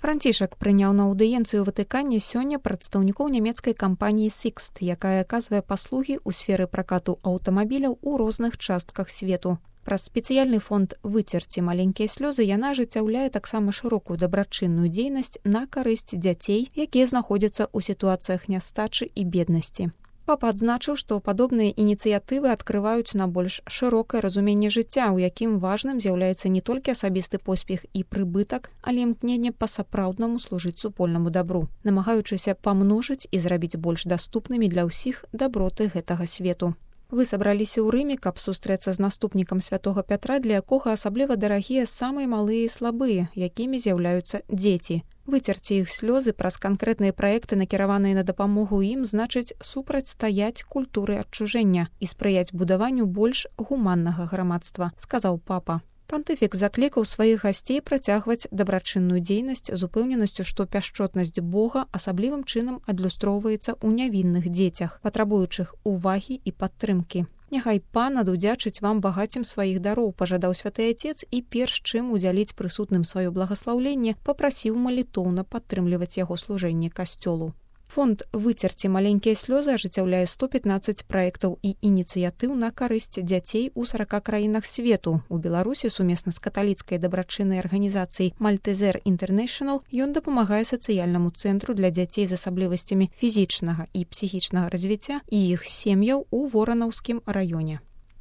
Францішак прыняў на аўдыенцыю ў Ватыкане сёння прадстаўнікоў нямецкай кампаніі Sixt, якая аказвае паслугі ў сферы пракату аўтамабіляў у розных частках свету. Праз спецыяльны фонд «Выцерці маленькія слёзы» яна ажыццяўляе таксама шырокую дабрачынную дзейнасць на карысць дзяцей, якія знаходзяцца ў сітуацыях нястачы і беднасці. Папа адзначыў, што падобныя ініцыятывы адкрываюць на больш шырокае разуменне жыцця, у якім важным з'яўляецца не толькі асабісты поспех і прыбытак, але імкненне па-сапраўднаму служыць супольнаму дабру, намагаючыся памножыць і зрабіць больш даступнымі для ўсіх даброты гэтага свету. Вы сабраліся ў Рыме, каб сустрэцца з наступнікам святога Пятра, для якога асабліва дарагія самыя малыя і слабыя, якімі з'яўляюцца дзеці. Выцерці іх слёзы праз канкрэтныя праекты, накіраваныя на дапамогу ім, значыць супрацьстаяць культуры адчужэння і спрыяць будаванню больш гуманнага грамадства, сказаў папа. Пантыфік заклікаў сваіх гасцей працягваць дабрачынную дзейнасць з упэўненасцю, што пяшчотнасць Бога асаблівым чынам адлюстроўваецца ў нявінных дзецях, патрабуючых увагі і падтрымкі. Няхай пан адудзячыць вам багаццем сваіх дароў, пажадаў святы Ацец і перш чым удзяліць прысутным сваё благаслаўленне, папрасіў малітоўна падтрымліваць яго служэнне касцёлу. Фонд «Выцерці маленькія слёзы» ажыццяўляе 115 праектаў і ініцыятыў на карысць дзяцей у 40 краінах свету. У Беларусі сумесна з каталіцкай дабрачыннай арганізацыяй «Мальтезер Інтэрнэшнл» ён дапамагае сацыяльнаму цэнтру для дзяцей з асаблівасцямі фізічнага і псіхічнага развіцця і іх сем'яў у Воранаўскім раёне.